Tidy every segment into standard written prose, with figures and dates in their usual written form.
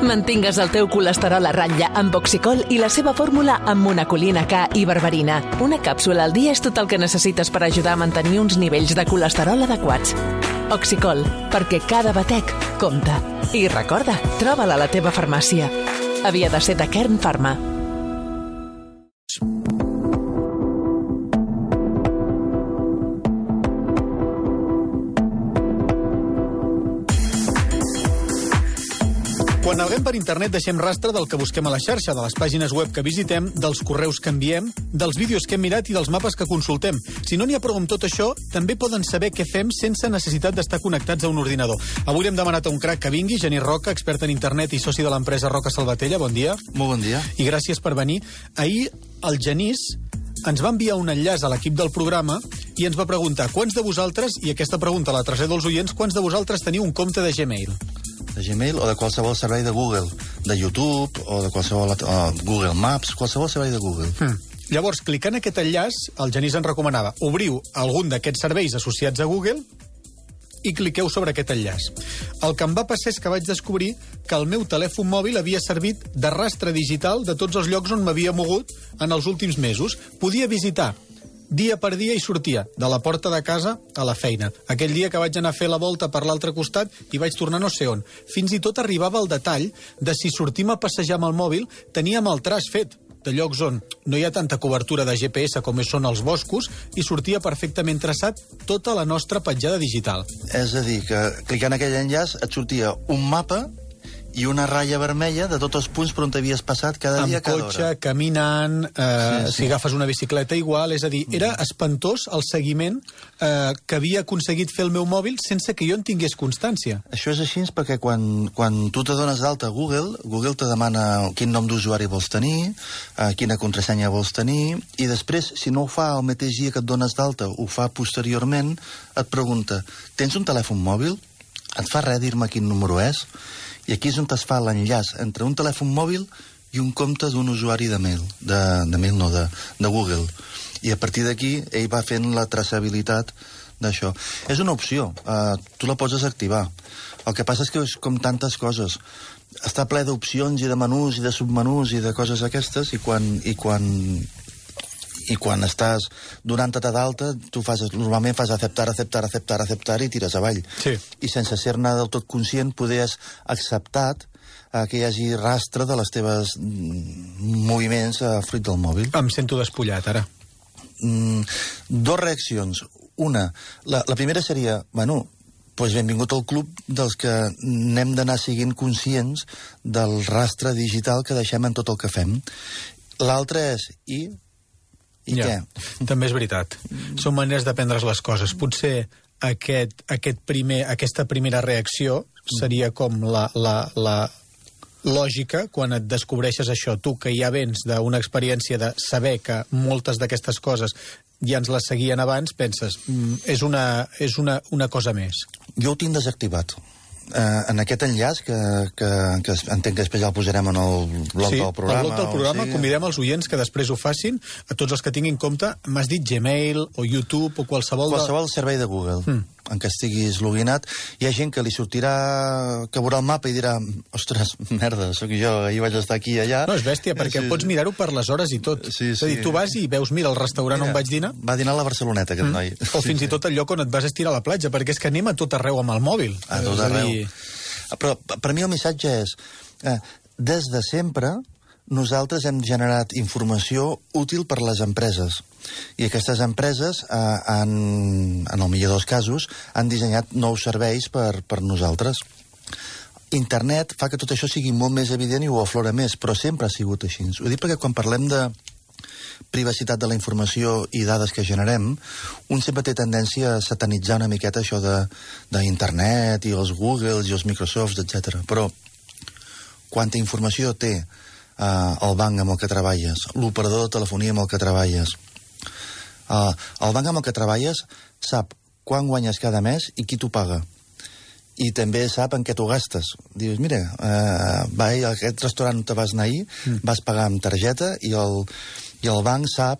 Mantingues el teu colesterol a ratlla amb Oxicol i la seva fórmula amb monacolina K i berberina. Una càpsula al dia és tot el que necessites per ajudar a mantenir uns nivells de colesterol adequats. Oxicol, perquè cada batec compta. I recorda, troba-la a la teva farmàcia. Havia de ser de Kern Pharma. Quan naveguem per internet deixem rastre del que busquem a la xarxa, de les pàgines web que visitem, dels correus que enviem, dels vídeos que hem mirat i dels mapes que consultem. Si no n'hi ha prou amb tot això, també poden saber què fem sense necessitat d'estar connectats a un ordinador. Avui hem demanat a un crac que vingui, Genís Roca, expert en internet i soci de l'empresa Roca Salvatella. Bon dia. Molt bon dia. I gràcies per venir. Ahir el Genís ens va enviar un enllaç a l'equip del programa i ens va preguntar quants de vosaltres, i aquesta pregunta la trasllado als oients, quants de vosaltres teniu un compte de Gmail? De Gmail o de qualsevol servei de Google, de YouTube o de qualsevol Google Maps, qualsevol servei de Google. Llavors, clicant aquest enllaç, el Genís ens recomanava obriu algun d'aquests serveis associats a Google i cliqueu sobre aquest enllaç. El que em va passar és que vaig descobrir que el meu telèfon mòbil havia servit de rastre digital de tots els llocs on m'havia mogut en els últims mesos. Podia visitar dia per dia i sortia de la porta de casa a la feina. Aquell dia que vaig anar a fer la volta per l'altre costat i vaig tornar no sé on. Fins i tot arribava el detall de si sortim a passejar amb el mòbil teníem el traç fet de llocs on no hi ha tanta cobertura de GPS com són els boscos i sortia perfectament traçat tota la nostra petjada digital. És a dir, que clicant aquell enllaç et sortia un mapa i una ratlla vermella de tots els punts per on t'havies passat cada dia, cada hora. Amb cotxe, caminant, si agafes una bicicleta igual, és a dir, era espantós el seguiment que havia aconseguit fer el meu mòbil sense que jo en tingués constància. Això és així perquè quan tu t'adones d'alta a Google te demana quin nom d'usuari vols tenir, quina contrasenya vols tenir, i després, si no ho fa el mateix dia que et dones d'alta, ho fa posteriorment, et pregunta, tens un telèfon mòbil? Et fa res dir-me quin número és? I aquí és on es fa l'enllaç entre un telèfon mòbil i un compte d'un usuari de mail, de Google. I a partir d'aquí ell va fent la traçabilitat d'això. És una opció, tu la pots desactivar. El que passa és que és com tantes coses. Està ple d'opcions i de menús i de submenús i de coses aquestes i quan estàs donant-te d'alta, tu normalment fas acceptar i tires avall. Sí. I sense ser-ne del tot conscient, poder has acceptat que hi hagi rastre de les teves moviments fruit del mòbil. Em sento despullat, ara. Dos reaccions. Una, la primera seria, benvingut al club dels que n'hem d'anar siguent conscients del rastre digital que deixem en tot el que fem. L'altra és, I què? També és veritat. Són maneres de prendre's les coses. Potser aquesta primera reacció seria com la lògica quan et descobreixes això. Tu, que ja vens d'una experiència de saber que moltes d'aquestes coses ja ens les seguien abans, penses, és una cosa més. Jo ho tinc desactivat. En aquest enllaç, que entenc que després ja el posarem en el blog del programa. Sí, al blog del programa convidem els oients que després ho facin, a tots els que tinguin compte, m'has dit Gmail o YouTube o qualsevol servei de Google en què estiguis loginat. Hi ha gent que li sortirà, que veurà el mapa i dirà, ostres, merda, sóc jo, ahir vaig estar aquí i allà. No, és bèstia, perquè pots mirar-ho per les hores i tot. Sí. És a dir, tu vas i veus, mira, el restaurant on vaig dinar. Va dinar a la Barceloneta, aquest noi. O fins i tot el lloc on et vas estirar a la platja, perquè és que anem a tot arreu amb el mòbil. A tot arreu. Però per mi el missatge és, des de sempre nosaltres hem generat informació útil per a les empreses. I aquestes empreses, en el millor dels casos, han dissenyat nous serveis per nosaltres. Internet fa que tot això sigui molt més evident i ho aflora més, però sempre ha sigut així. Ho dic perquè quan parlem de privacitat de la informació i dades que generem, un sempre té tendència a satanitzar una miqueta això d'internet i els Googles i els Microsofts, etc. Però quanta informació té el banc amb el que treballes, l'operador de telefonia amb el que treballes. El banc amb el que treballes sap quan guanyes cada mes i qui t'ho paga. I també sap en què t'ho gastes. Dius, mira, a aquest restaurant on te vas anar ahir, vas pagar amb targeta i el banc sap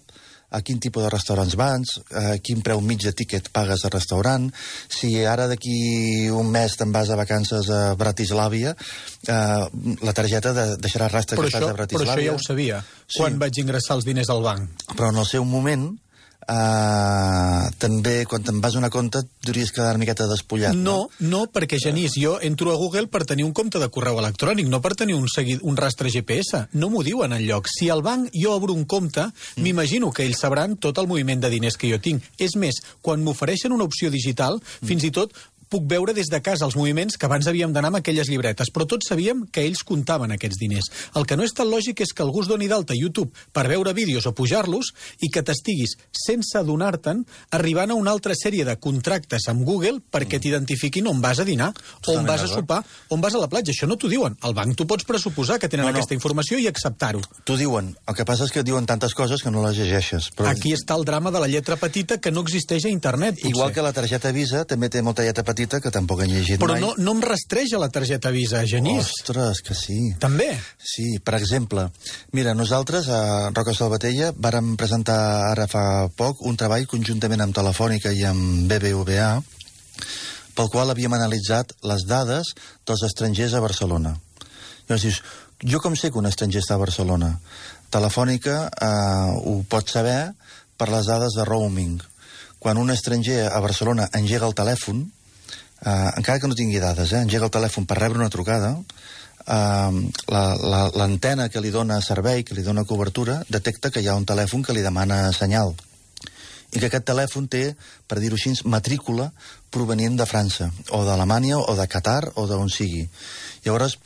a quin tipus de restaurants vas, a quin preu mig de tíquet pagues de restaurant, si ara d'aquí un mes te'n vas a vacances a Bratislava, la targeta deixarà rastre que estàs a Bratislava. Però això ja ho sabia, quan vaig ingressar els diners al banc. Però en el seu moment, també, quan te'n vas a una compte, hauries quedar una miqueta despullat. No, perquè, Genís, jo entro a Google per tenir un compte de correu electrònic, no per tenir un rastre GPS. No m'ho diuen enlloc. Si al banc jo obro un compte, m'imagino que ells sabran tot el moviment de diners que jo tinc. És més, quan m'ofereixen una opció digital, fins i tot puc veure des de casa els moviments que abans havíem d'anar amb aquelles llibretes, però tots sabíem que ells comptaven aquests diners. El que no és tan lògic és que algú es doni d'alta a YouTube per veure vídeos o pujar-los i que t'estiguis, sense adonar-te'n, arribant a una altra sèrie de contractes amb Google perquè t'identifiquin on vas a dinar, on vas a sopar, on vas a la platja. Això no t'ho diuen. Al banc tu pots pressuposar que tenen aquesta informació i acceptar-ho. T'ho diuen. El que passa és que diuen tantes coses que no les llegeixes. Però... Aquí està el drama de la lletra petita que no existeix a internet, potser. Igual que la targeta Visa també té molta lletra petita que tampoc han llegit mai. Però no em rastreja la targeta Visa, Genís. Ostres, que sí. També? Sí, per exemple, mira, nosaltres a Roca Salvatella vàrem presentar ara fa poc un treball conjuntament amb Telefònica i amb BBVA pel qual havíem analitzat les dades dels estrangers a Barcelona. Llavors dius, jo com sé que un estranger està a Barcelona? Telefònica ho pot saber per les dades de roaming. Quan un estranger a Barcelona engega el telèfon, encara que no tingui dades, engega el telèfon per rebre una trucada, l'antena que li dona servei, que li dona cobertura, detecta que hi ha un telèfon que li demana senyal. I que aquest telèfon té, per dir-ho així, matrícula provenient de França, o d'Alemanya, o de Qatar, o d'on sigui. Llavors,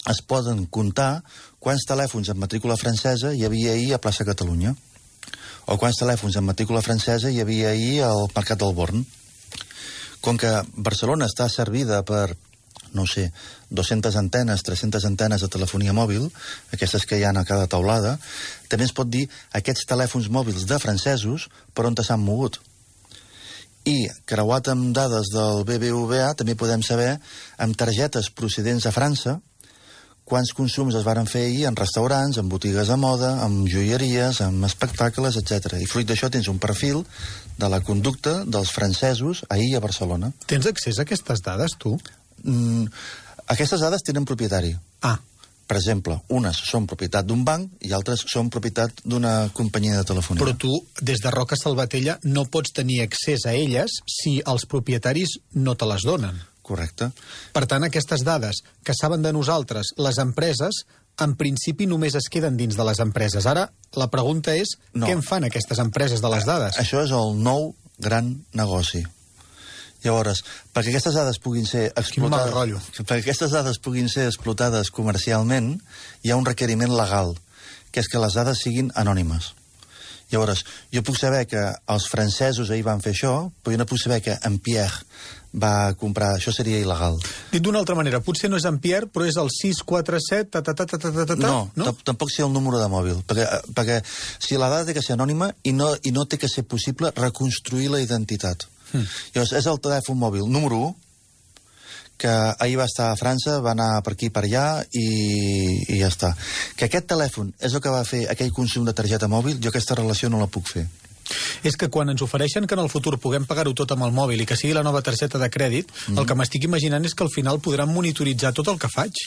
es poden comptar quants telèfons amb matrícula francesa hi havia ahir a plaça Catalunya, o quants telèfons amb matrícula francesa hi havia ahir al Mercat del Born. Com que Barcelona està servida per, no sé, 200 antenes, 300 antenes de telefonia mòbil, aquestes que hi ha a cada taulada, també es pot dir aquests telèfons mòbils de francesos per on s'han mogut. I, creuat amb dades del BBVA, també podem saber, amb targetes procedents de França, quants consums es varen fer ahir en restaurants, en botigues de moda, en joieries, en espectacles, etc. I fruit d'això tens un perfil de la conducta dels francesos ahir a Barcelona. Tens accés a aquestes dades, tu? Aquestes dades tenen propietari. Per exemple, unes són propietat d'un banc i altres són propietat d'una companyia de telefonia. Però tu, des de Roca Salvatella, no pots tenir accés a elles si els propietaris no te les donen. Correcte. Per tant, aquestes dades que saben de nosaltres, les empreses, en principi només es queden dins de les empreses. Ara, la pregunta és, què en fan aquestes empreses de les dades? Això és el nou gran negoci. Llavors, perquè aquestes dades puguin ser explotades comercialment, hi ha un requeriment legal, que és que les dades siguin anònimes. Llavors, jo puc saber que els francesos ahir van fer això, però jo no puc saber que en Pierre va comprar... Això seria il·legal. Dit d'una altra manera, potser no és en Pierre, però és el 647... No, tampoc sé el número de mòbil, perquè si la dada té que ser anònima i no té que ser possible reconstruir la identitat. Llavors, és el telèfon mòbil número 1, que ahir va estar a França, va anar per aquí per allà i ja està. Que aquest telèfon és el que va fer aquell consum de targeta mòbil, jo aquesta relació no la puc fer. És que quan ens ofereixen que en el futur puguem pagar-ho tot amb el mòbil i que sigui la nova targeta de crèdit, el que m'estic imaginant és que al final podran monitoritzar tot el que faig.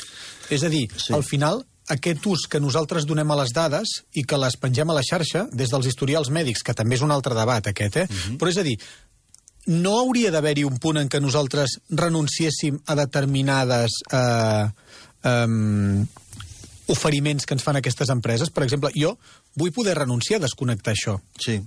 És a dir, al final, aquest ús que nosaltres donem a les dades i que les pengem a la xarxa, des dels historials mèdics, que també és un altre debat aquest, però és a dir, no hauria d'haver-hi un punt en què nosaltres renunciéssim a determinades oferiments que ens fan aquestes empreses? Per exemple, jo vull poder renunciar a desconnectar això. Sí.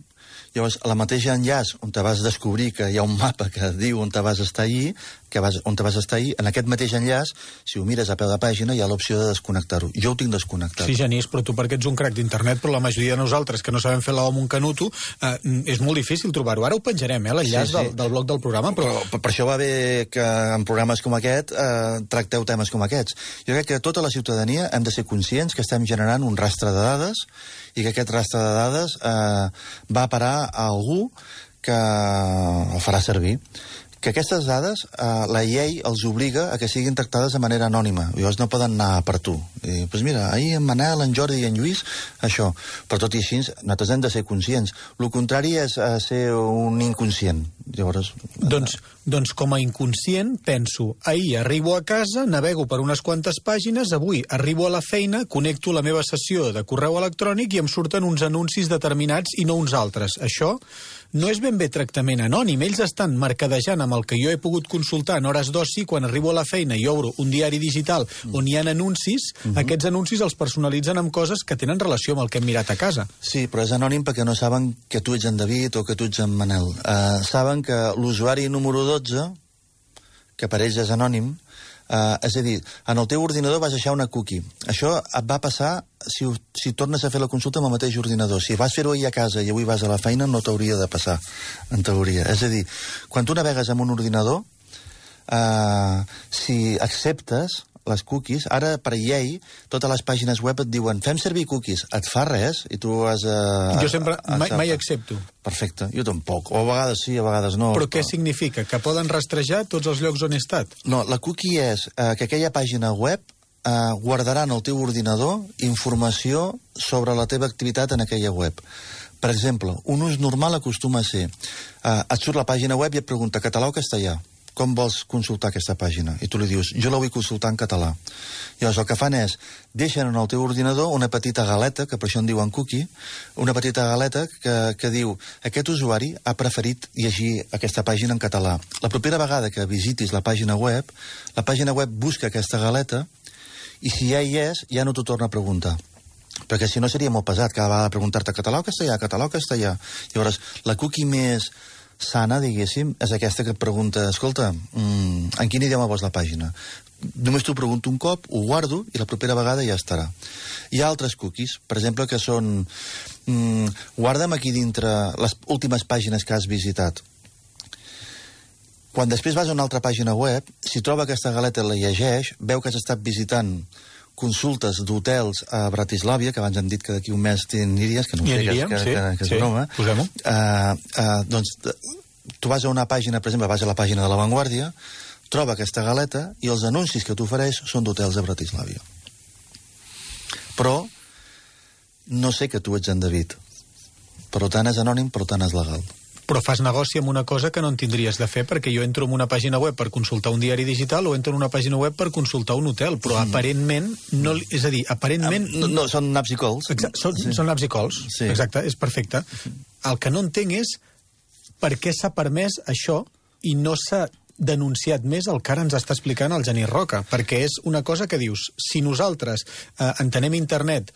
Llavors, a la mateixa enllaç on te vas descobrir que hi ha un mapa que diu on te vas estar ahir, en aquest mateix enllaç, si ho mires a peu de pàgina, hi ha l'opció de desconnectar-ho. Jo ho tinc desconnectat. Sí, Genís, però tu perquè ets un crac d'internet, però la majoria de nosaltres que no sabem fer la O amb un canuto, és molt difícil trobar-ho. Ara ho penjarem, l'enllaç del blog del programa, però... Per això va bé que en programes com aquest tracteu temes com aquests. Jo crec que tota la ciutadania hem de ser conscients que estem generant un rastre de dades i que aquest rastre de dades va a parar a algú que el farà servir. Que aquestes dades, la llei els obliga a que siguin tractades de manera anònima. Llavors no poden anar per tu. I, doncs mira, ahir en Manel, en Jordi i en Lluís, això. Però tot i així, nosaltres hem de ser conscients. El contrari és ser un inconscient. Llavors... Doncs com a inconscient penso, ahir arribo a casa, navego per unes quantes pàgines, avui arribo a la feina, connecto la meva sessió de correu electrònic i em surten uns anuncis determinats i no uns altres. Això no és ben bé tractament anònim. Ells estan mercadejant amb el que jo he pogut consultar en hores d'oci quan arribo a la feina i obro un diari digital on hi ha anuncis. Aquests anuncis els personalitzen amb coses que tenen relació amb el que hem mirat a casa. Sí, però és anònim perquè no saben que tu ets en David o que tu ets en Manel. Saben que l'usuari número 12, que per ells és anònim, és a dir, en el teu ordinador vas deixar una cookie. Això et va passar si tornes a fer la consulta amb el mateix ordinador. Si vas fer-ho ahir a casa i avui vas a la feina, no t'hauria de passar, en teoria. És a dir, quan tu navegues amb un ordinador, si acceptes les cookies, ara per llei, totes les pàgines web et diuen fem servir cookies, et fa res i tu has... Jo sempre, mai accepto. Perfecte, jo tampoc. O a vegades sí, a vegades no. Però què significa? Que poden rastrejar tots els llocs on he estat? No, la cookie és que aquella pàgina web guardarà en el teu ordinador informació sobre la teva activitat en aquella web. Per exemple, un ús normal acostuma a ser et surt la pàgina web i et pregunta català o castellà. Com vols consultar aquesta pàgina? I tu li dius, jo la vull consultar en català. Llavors el que fan és, deixen en el teu ordinador una petita galeta, que per això en diuen cookie, una petita galeta que diu, aquest usuari ha preferit llegir aquesta pàgina en català. La propera vegada que visitis la pàgina web busca aquesta galeta i si ja hi és, ja no t'ho torna a preguntar. Perquè si no seria molt pesat cada vegada preguntar-te català o castellà, català o castellà. Llavors, la cookie més sana, diguéssim, és aquesta que et pregunta, escolta, en quin idioma vols la pàgina? Només t'ho pregunto un cop, ho guardo i la propera vegada ja estarà. Hi ha altres cookies, per exemple, que són guarda'm aquí dintre les últimes pàgines que has visitat. Quan després vas a una altra pàgina web, si troba aquesta galeta i la llegeix, veu que has estat visitant consultes d'hotels a Bratislava, que abans hem dit que d'aquí un mes t'aniries, que no sé, que és broma. Posem-ho. Doncs tu vas a una pàgina, per exemple, vas a la pàgina de La Vanguardia, troba aquesta galeta i els anuncis que t'ofereix són d'hotels a Bratislava. Però no sé que tu ets en David. Per tant és anònim, per tant és legal. Però fas negoci amb una cosa que no en tindries de fer, perquè jo entro en una pàgina web per consultar un diari digital o entro en una pàgina web per consultar un hotel, però aparentment, no, és a dir, aparentment... No, són naps i cols. Són naps i cols, sí. Exacte, és perfecte. El que no entenc és per què s'ha permès això i no s'ha denunciat més el que ara ens està explicant el Genís Roca, perquè és una cosa que dius, si nosaltres entenem internet...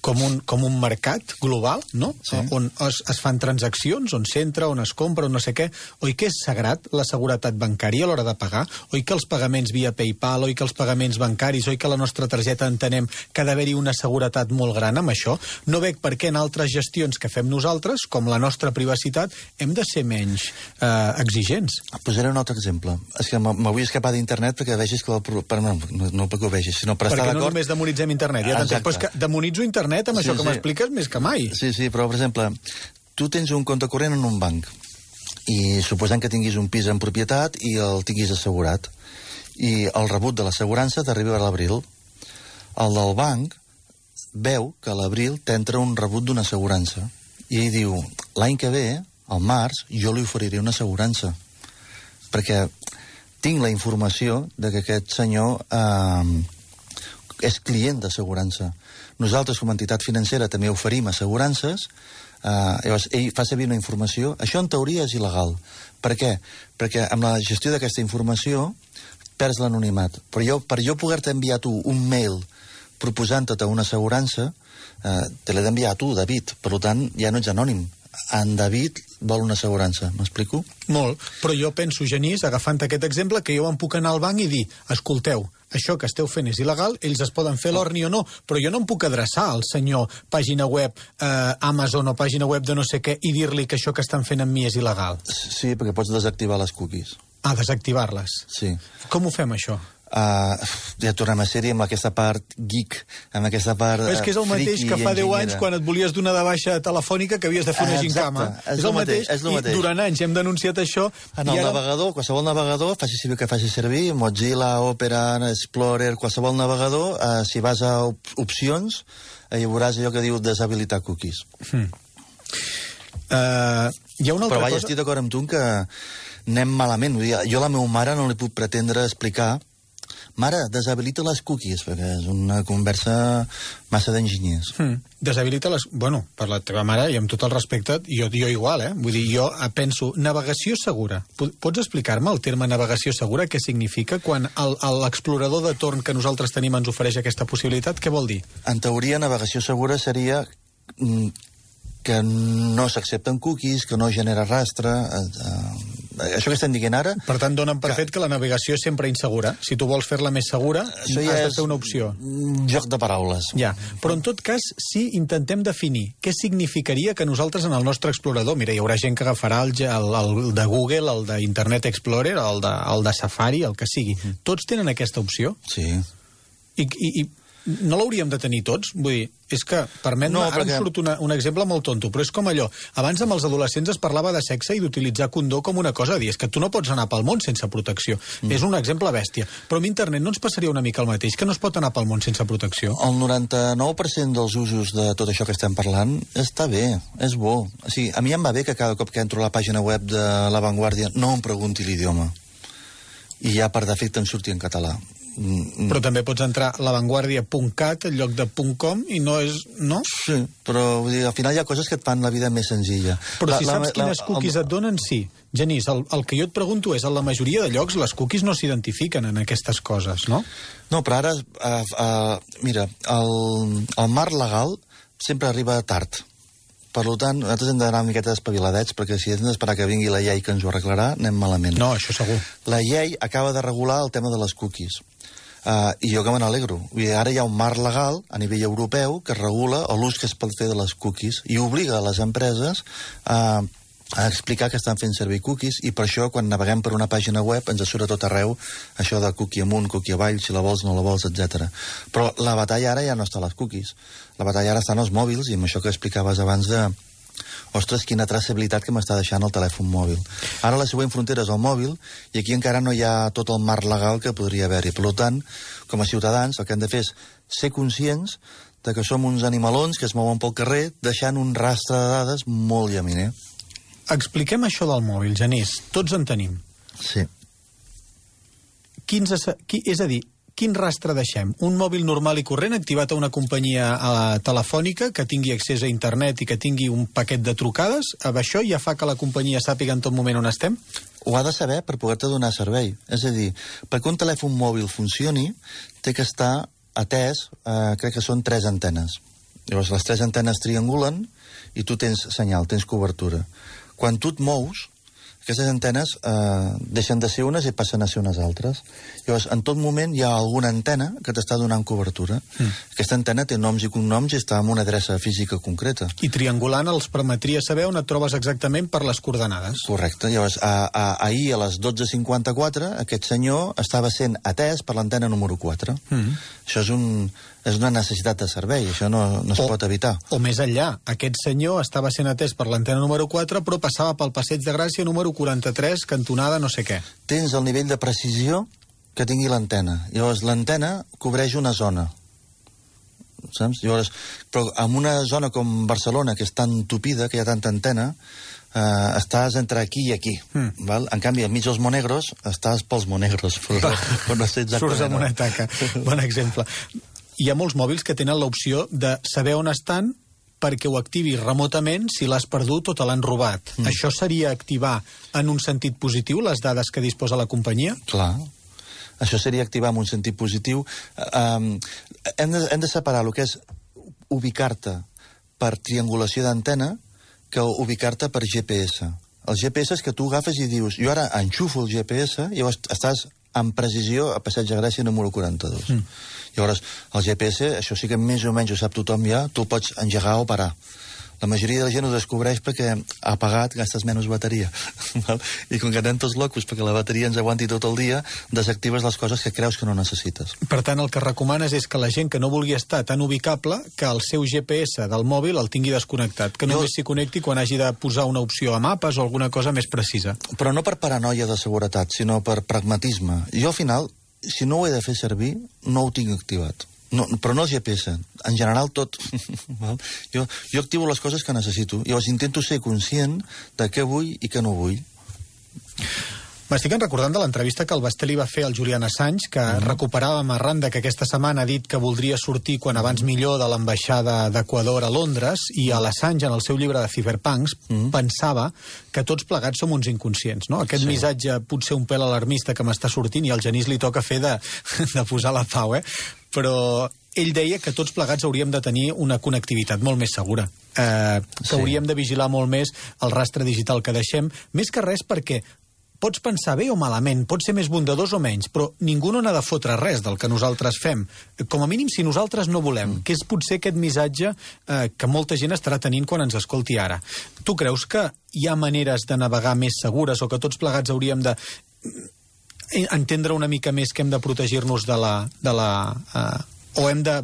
com un mercat global, no? Sí. On es fan transaccions, on s'entra, on es compra, on no sé què. Oi que és sagrat la seguretat bancària a l'hora de pagar? Oi que els pagaments via PayPal, oi que els pagaments bancaris, oi que la nostra targeta entenem que ha d'haver-hi una seguretat molt gran amb això? No veig per què en altres gestions que fem nosaltres, com la nostra privacitat, hem de ser menys exigents. Posaré un altre exemple. És que m'avui escapar d'internet perquè vegis que... No perquè ho vegis, sinó per estar d'acord... Perquè no només demonitzem internet, ja t'entenc. Però és que demonitzo internet amb això que m'expliques més que mai. Sí, però, per exemple, tu tens un compte corrent en un banc i suposant que tinguis un pis en propietat i el tinguis assegurat i el rebut de l'assegurança t'arriba a l'abril. El del banc veu que a l'abril t'entra un rebut d'una assegurança i ell diu, l'any que ve, al març, jo li oferiré una assegurança perquè tinc la informació de que aquest senyor és client d'assegurança. Nosaltres, com a entitat financera, també oferim assegurances. Llavors, ell fa servir una informació. Això, en teoria, és il·legal. Per què? Perquè amb la gestió d'aquesta informació perds l'anonimat. Però per jo poder-te enviar tu un mail proposant-te una assegurança, te l'he d'enviar a tu, David. Per tant, ja no ets anònim. En David vol una assegurança. M'explico? Molt. Però jo penso, Genís, agafant aquest exemple, que jo em puc anar al banc i dir, escolteu, això que esteu fent és il·legal, ells es poden fer l'orni o no, però jo no em puc adreçar al senyor pàgina web Amazon o pàgina web de no sé què i dir-li que això que estan fent amb mi és il·legal. Sí, perquè pots desactivar les cookies. Desactivar-les. Sí. Com ho fem, això? Ja tornem a ser-hi amb aquesta part geek, amb aquesta part és que és el mateix que fa 10 anys quan et volies donar de baixa telefònica que havies de fer una gincama. És el mateix. I durant anys hem denunciat això. En el navegador, qualsevol navegador, faci servir que faci servir, Mozilla, Opera, Explorer, qualsevol navegador, si vas a opcions, hi veuràs allò que diu deshabilitar cookies. Hi ha una altra Però cosa... estic d'acord amb tu que anem malament. Vull dir, jo a la meva mare no li puc pretendre explicar mare, deshabilita les cookies, perquè és una conversa massa d'enginyers. Deshabilita les... Bueno, per la teva mare, i amb tot el respecte, jo igual, Vull dir, jo penso, navegació segura. Pots explicar-me el terme navegació segura, què significa quan l'explorador de torn que nosaltres tenim ens ofereix aquesta possibilitat? Què vol dir? En teoria, navegació segura seria que no s'accepten cookies, que no genera rastre... Això que estem dient ara... Per tant, donen per fet que la navegació és sempre insegura. Si tu vols fer-la més segura, has de fer una opció. Joc de paraules. Ja, però en tot cas, si intentem definir què significaria que nosaltres en el nostre explorador... Mira, hi haurà gent que agafarà el de Google, el d'Internet Explorer, el de Safari, el que sigui. Tots tenen aquesta opció? Sí. I no l'hauríem de tenir tots? Vull dir, és que, permet-me, ara em surt un exemple molt tonto, però és com allò. Abans amb els adolescents es parlava de sexe i d'utilitzar condó com una cosa a dir. És que tu no pots anar pel món sense protecció. És un exemple bèstia. Però amb internet no ens passaria una mica el mateix, que no es pot anar pel món sense protecció? El 99% dels usos de tot això que estem parlant està bé, és bo. O sigui, a mi em va bé que cada cop que entro a la pàgina web de La Vanguardia no em pregunti l'idioma. I ja per defecte em surti en català. Però també pots entrar a lavanguardia.cat en lloc de .com i no és... no? Sí, però vull dir, al final hi ha coses que et fan la vida més senzilla. Però si saps quines cookies et donen, sí. Genís, el que jo et pregunto és, en la majoria de llocs les cookies no s'identifiquen en aquestes coses, no? No, però ara, mira, el marc legal sempre arriba tard. Per tant, nosaltres hem d'anar una miqueta espaviladets, perquè si hem d'esperar que vingui la llei que ens ho arreglarà, anem malament. No, això segur. La llei acaba de regular el tema de les cookies. I jo que me n'alegro. Ara hi ha un marc legal a nivell europeu que regula l'ús que es pot fer de les cookies i obliga a les empreses a explicar que estan fent servir cookies, i per això quan naveguem per una pàgina web ens surt a tot arreu això de cookie amunt, cookie avall, si la vols, no la vols, etc. Però la batalla ara ja no està a les cookies. La batalla ara està en els mòbils, i amb això que explicaves abans de... Ostres, quina traçabilitat que m'està deixant el telèfon mòbil. Ara la següent frontera és el mòbil, i aquí encara no hi ha tot el marc legal que podria haver-hi. Per tant, com a ciutadans, el que hem de fer és ser conscients de que som uns animalons que es mouen pel carrer deixant un rastre de dades molt llaminer. Expliquem això del mòbil, Genís. Tots en tenim. Sí. És a dir, quin rastre deixem? Un mòbil normal i corrent activat a una companyia telefònica que tingui accés a internet i que tingui un paquet de trucades? Amb això ja fa que la companyia sàpiga en tot moment on estem? Ho ha de saber per poder-te donar servei. És a dir, perquè un telèfon mòbil funcioni, té que estar atès, crec que són 3 antenes. Llavors, les 3 antenes triangulen i tu tens senyal, tens cobertura. Quan tu et mous, aquestes antenes deixen de ser unes i passen a ser unes altres. Llavors, en tot moment hi ha alguna antena que t'està donant cobertura. Aquesta antena té noms i cognoms i està en una adreça física concreta. I triangulant els permetria saber on et trobes exactament per les coordenades. Correcte. Llavors, ahir a les 12:54 aquest senyor estava sent atès per l'antena número 4. Això és una necessitat de servei, això no es pot evitar. O més enllà, aquest senyor estava sent atès per l'antena número 4, però passava pel Passeig de Gràcia número 43, cantonada no sé què. Tens el nivell de precisió que tingui l'antena. Llavors, l'antena cobreix una zona. Saps? Llavors, però en una zona com Barcelona, que és tan tupida, que hi ha tanta antena, estàs entre aquí i aquí. Val? En canvi, enmig dels monegros, estàs pels monegros. Però no sé exactament. Surts amb una taca. Bon exemple. Hi ha molts mòbils que tenen l'opció de saber on estan perquè ho activi remotament si l'has perdut o te l'han robat. Això seria activar en un sentit positiu les dades que disposa la companyia? Clar. Això seria activar en un sentit positiu. Hem de separar el que és ubicar-te per triangulació d'antena que ubicar-te per GPS. El GPS és que tu agafes i dius, jo ara enxufo el GPS i llavors estàs amb precisió a Passeig de Gràcia número 42. Llavors, el GPS, això sí que més o menys ho sap tothom ja, tu el pots engegar o parar. La majoria de la gent ho descobreix perquè apagat gastes menys bateria. I com que anem tots locos perquè la bateria ens aguanti tot el dia, desactives les coses que creus que no necessites. Per tant, el que recomanes és que la gent que no vulgui estar tan ubicable, que el seu GPS del mòbil el tingui desconnectat, que només s'hi connecti quan hagi de posar una opció a mapes o alguna cosa més precisa. Però no per paranoia de seguretat, sinó per pragmatisme. Jo, al final, si no ho he de fer servir, no ho tinc activat. No, però no el GPS, en general tot. jo activo les coses que necessito. Llavors intento ser conscient de què vull i què no vull. M'estic recordant de l'entrevista que el Basté li va fer al Julian Assange, que recuperàvem arran de que aquesta setmana ha dit que voldria sortir quan abans millor de l'ambaixada d'Equador a Londres, i a l'Assange, en el seu llibre de Cyberpunks, pensava que tots plegats som uns inconscients, no? Aquest missatge potser un pèl alarmista que m'està sortint, i al Genís li toca fer de posar la pau, però ell deia que tots plegats hauríem de tenir una connectivitat molt més segura, que hauríem de vigilar molt més el rastre digital que deixem, més que res perquè pots pensar bé o malament, pots ser més bondadós o menys, però ningú no n'ha de fotre res del que nosaltres fem. Com a mínim, si nosaltres no volem, que és potser aquest missatge que molta gent estarà tenint quan ens escolti ara. Tu creus que hi ha maneres de navegar més segures o que tots plegats hauríem de entendre una mica més que hem de protegir-nos o hem de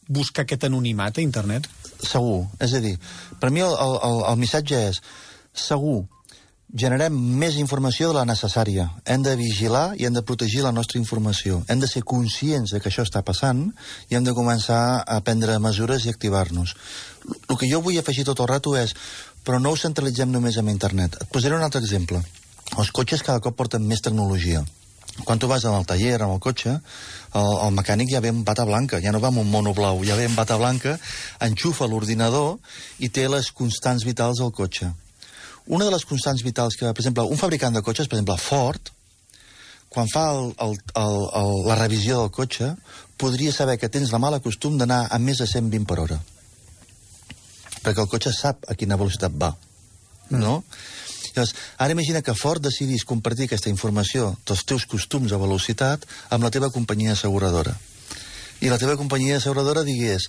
buscar aquest anonimat a internet? Segur. És a dir, per mi el missatge és segur. Generem més informació de la necessària. Hem de vigilar i hem de protegir la nostra informació. Hem de ser conscients de que això està passant i hem de començar a prendre mesures i activar-nos. El que jo vull afegir tot el rato és, però no ho centralitzem només en internet. Et posaré un altre exemple. Els cotxes cada cop porten més tecnologia. Quan tu vas al taller, amb el cotxe, el mecànic ja ve amb bata blanca, ja no va amb un mono blau, ja ve amb bata blanca, enxufa l'ordinador i té les constants vitals del cotxe. Una de les constants vitals que, per exemple, un fabricant de cotxes, per exemple, Ford, quan fa la revisió del cotxe, podria saber que tens la mala costum d'anar a més de 120 per hora. Perquè el cotxe sap a quina velocitat va, no? Llavors, ara imagina que Ford decidís compartir aquesta informació dels teus costums a velocitat amb la teva companyia asseguradora. I la teva companyia asseguradora digués: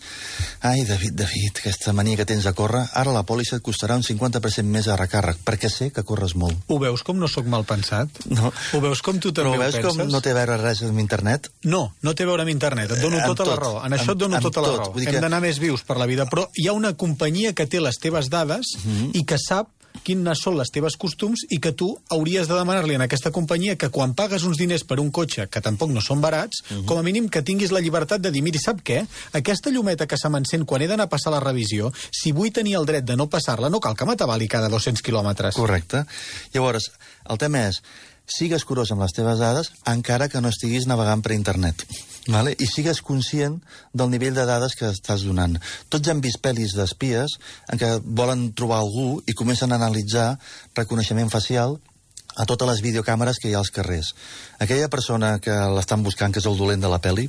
ai, David, aquesta mania que tens de córrer, ara la pòlissa et costarà un 50% més de recàrrec, perquè sé que corres molt. Ho veus com no sóc mal pensat? No. Ho veus com tu també ho penses? Però veus com no té a veure res amb internet? No, no té a veure amb internet, et dono tota la raó. En això et dono tota la raó. Hem d'anar més vius per la vida, però hi ha una companyia que té les teves dades i que sap quines són les teves costums i que tu hauries de demanar-li a aquesta companyia que quan pagues uns diners per un cotxe, que tampoc no són barats, com a mínim que tinguis la llibertat de dir: miri, sap què? Aquesta llumeta que se m'encén quan he d'anar a passar la revisió, si vull tenir el dret de no passar-la, no cal que m'atabali cada 200 quilòmetres. Correcte. Llavors, el tema és: sigues curós amb les teves dades encara que no estiguis navegant per internet. Vale? I sigues conscient del nivell de dades que estàs donant. Tots hem vist pel·lis d'espies en què volen trobar algú i comencen a analitzar reconeixement facial a totes les videocàmeres que hi ha als carrers. Aquella persona que l'estan buscant, que és el dolent de la pel·li,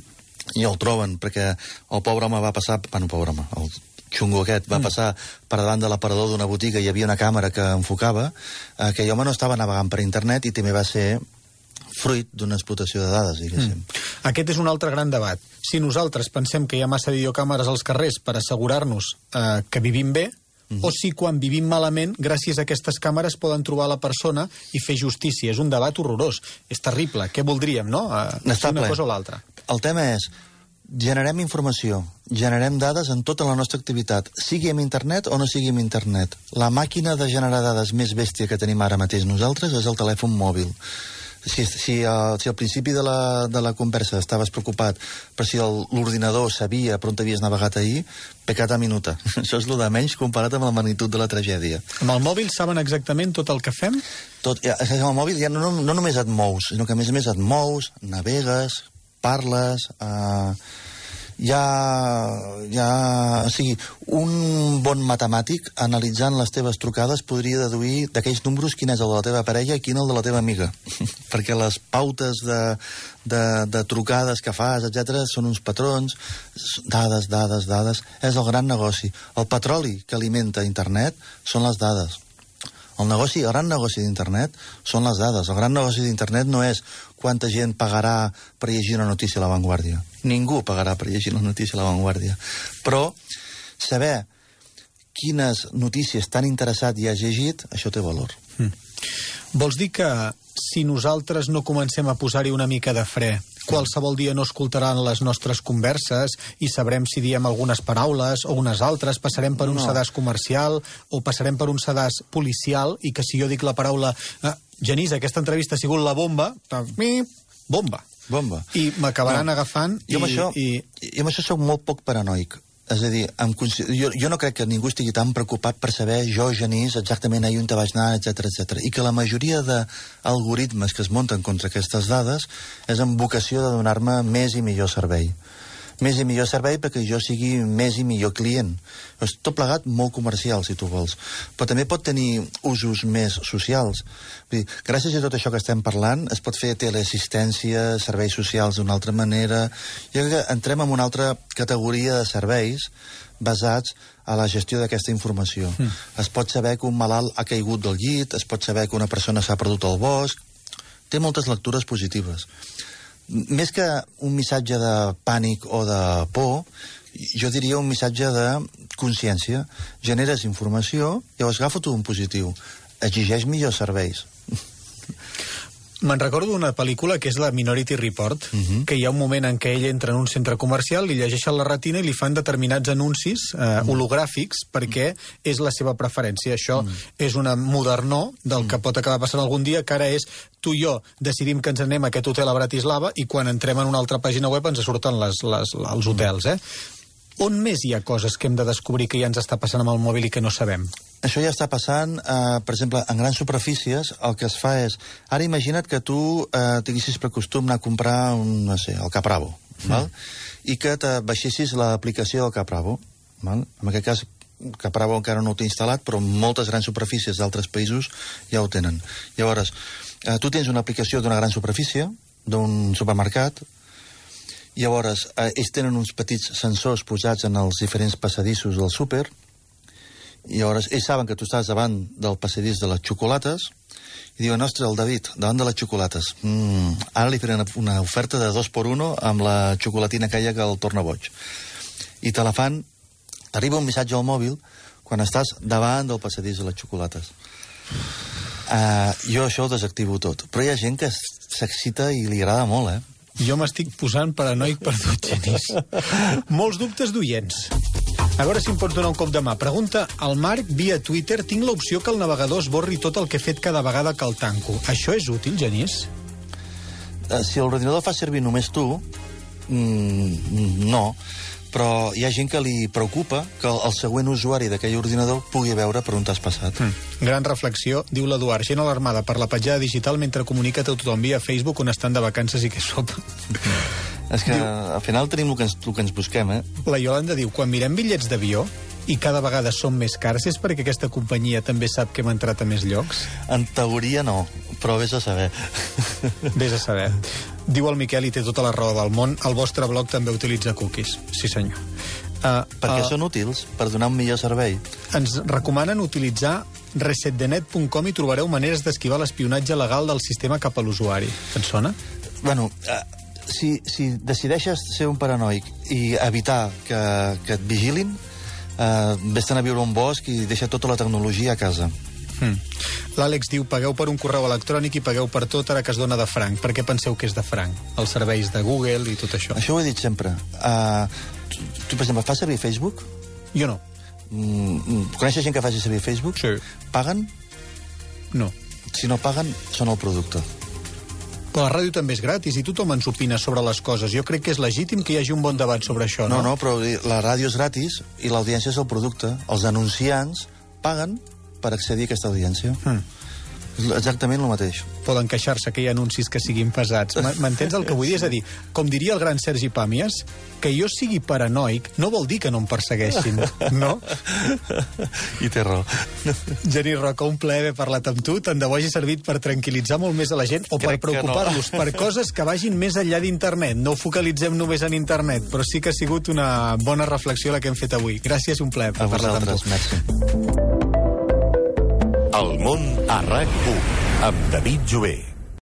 i el troben perquè el pobre home va passar... Bueno, pobre home, el xungo aquest va passar per davant de l'aparador d'una botiga i hi havia una càmera que enfocava. Aquell home no estava navegant per internet i també va ser fruit d'una explotació de dades, diguéssim. Aquest és un altre gran debat. Si nosaltres pensem que hi ha massa videocàmeres als carrers per assegurar-nos que vivim bé, o si quan vivim malament, gràcies a aquestes càmeres poden trobar la persona i fer justícia. És un debat horrorós. És terrible. Què voldríem, no? Una cosa o l'altra. El tema és: generem informació, generem dades en tota la nostra activitat, sigui amb internet o no sigui amb internet. La màquina de generar dades més bèstia que tenim ara mateix nosaltres és el telèfon mòbil. Si al principi de la conversa estaves preocupat per si l'ordinador sabia per on t'havies navegat ahir, peccata minuta. Això és el de menys comparat amb la magnitud de la tragèdia. Amb el mòbil saben exactament tot el que fem? Amb el mòbil ja no només et mous, sinó que a més et mous, navegues, parles... o sigui, un bon matemàtic, analitzant les teves trucades, podria deduir d'aquells números quin és el de la teva parella i quin el de la teva amiga. Perquè les pautes de trucades que fas, etc., són uns patrons, dades. És el gran negoci. El petroli que alimenta internet són les dades. El gran negoci d'internet són les dades. El gran negoci d'internet no és quanta gent pagarà per llegir una notícia a La Vanguardia. Ningú pagarà per llegir una notícia a La Vanguardia. Però saber quines notícies tan interessat i has llegit, això té valor. Vols dir que si nosaltres no comencem a posar-hi una mica de fre, qualsevol dia no escoltaran les nostres converses i sabrem si diem algunes paraules o unes altres, passarem per un sedàs comercial o passarem per un sedàs policial i que si jo dic la paraula Genís, aquesta entrevista ha sigut la bomba, bomba. I m'acabaran agafant jo amb això soc molt poc paranoic. És a dir, jo no crec que ningú estigui tan preocupat per saber jo, Genís, exactament ahir on te vaig anar, etc. I que la majoria d'algoritmes que es munten contra aquestes dades és amb vocació de donar-me més i millor servei. Més i millor servei perquè jo sigui més i millor client. És tot plegat molt comercial, si tu vols. Però també pot tenir usos més socials. Vull dir, gràcies a tot això que estem parlant, es pot fer teleassistència, serveis socials d'una altra manera. Jo crec que entrem en una altra categoria de serveis basats a la gestió d'aquesta informació. Es pot saber que un malalt ha caigut del llit, es pot saber que una persona s'ha perdut al bosc. Té moltes lectures positives. Més que un missatge de pànic o de por, jo diria un missatge de consciència. Generes informació, llavors agafa-t'ho un positiu. Exigeix millors serveis. Me'n recordo d'una pel·lícula que és la Minority Report, que hi ha un moment en què ell entra en un centre comercial, li llegeixen la retina i li fan determinats anuncis hologràfics perquè és la seva preferència. Això és una modernor del que pot acabar passant algun dia, que ara és tu i jo decidim que ens anem a aquest hotel a Bratislava i quan entrem en una altra pàgina web ens surten els hotels, On més hi ha coses que hem de descobrir que ja ens està passant amb el mòbil i que no sabem? Això ja està passant, per exemple, en grans superfícies, el que es fa és... Ara imagina't que tu tinguessis per costum anar a comprar, el Capravo, val? I que te baixessis l'aplicació del Capravo. Val? En aquest cas, Capravo encara no ho té instal·lat, però moltes grans superfícies d'altres països ja ho tenen. Llavors, tu tens una aplicació d'una gran superfície, d'un supermercat. Llavors, ells tenen uns petits sensors posats en els diferents passadissos del súper. Llavors, ells saben que tu estàs davant del passadís de les xocolates i diuen, ostres, el David, davant de les xocolates. Ara li faré una oferta de 2x1 amb la xocolatina aquella que el torna boig. I te la fan, t'arriba un missatge al mòbil quan estàs davant del passadís de les xocolates. Jo això ho desactivo tot. Però hi ha gent que s'excita i li agrada molt, Jo m'estic posant paranoic per tot, Genís. Molts dubtes d'oients. A veure si em pots donar un cop de mà. Pregunta al Marc via Twitter: tinc l'opció que el navegador esborri tot el que he fet cada vegada que el tanco. Això és útil, Genís? Si l'ordinador fa servir només tu, no. Però hi ha gent que li preocupa que el següent usuari d'aquell ordinador pugui veure per on t'has passat. Gran reflexió, diu l'Eduard. Gent alarmada per la petjada digital mentre comunica a tothom via Facebook on estan de vacances i què sopa. És que al final tenim el que ens busquem, La Iolanda diu, quan mirem bitllets d'avió i cada vegada són més cars, és perquè aquesta companyia també sap que hem entrat a més llocs? En teoria no, però vés a saber. Vés a saber. Diu el Miquel, i té tota la raó del món, el vostre blog també utilitza cookies. Sí, senyor. Perquè són útils, per donar un millor servei. Ens recomanen utilitzar resetdenet.com i trobareu maneres d'esquivar l'espionatge legal del sistema cap a l'usuari. Et sona? Bueno, si decideixes ser un paranoic i evitar que et vigilin, vés-te'n a viure a un bosc i deixa tota la tecnologia a casa. L'Àlex diu, pagueu per un correu electrònic i pagueu per tot ara que es dona de franc. Per què penseu que és de franc? Els serveis de Google i tot això. Això ho he dit sempre. Tu, per exemple, fas servir Facebook? Jo no. Coneixes gent que faci servir Facebook? Sí. Paguen? No. Si no paguen, són el producte. Però la ràdio també és gratis i tothom ens opina sobre les coses. Jo crec que és legítim que hi hagi un bon debat sobre això, no? No, però la ràdio és gratis i l'audiència és el producte. Els anunciants paguen per accedir a aquesta audiència. Exactament el mateix. Poden queixar-se que hi ha anuncis que siguin pesats. M'entens el que vull dir? És a dir, com diria el gran Sergi Pàmies, que jo sigui paranoic no vol dir que no em persegueixin, no? I té raó. Genís Roca, un plaer haver parlat amb tu. Tant de bo hagi servit per tranquil·litzar molt més a la gent o per preocupar-los per coses que vagin més enllà d'internet. No ho focalitzem només en internet, però sí que ha sigut una bona reflexió la que hem fet avui. Gràcies, un plaer per parlar amb tu. Merci. El món a RAC1 amb David Jové.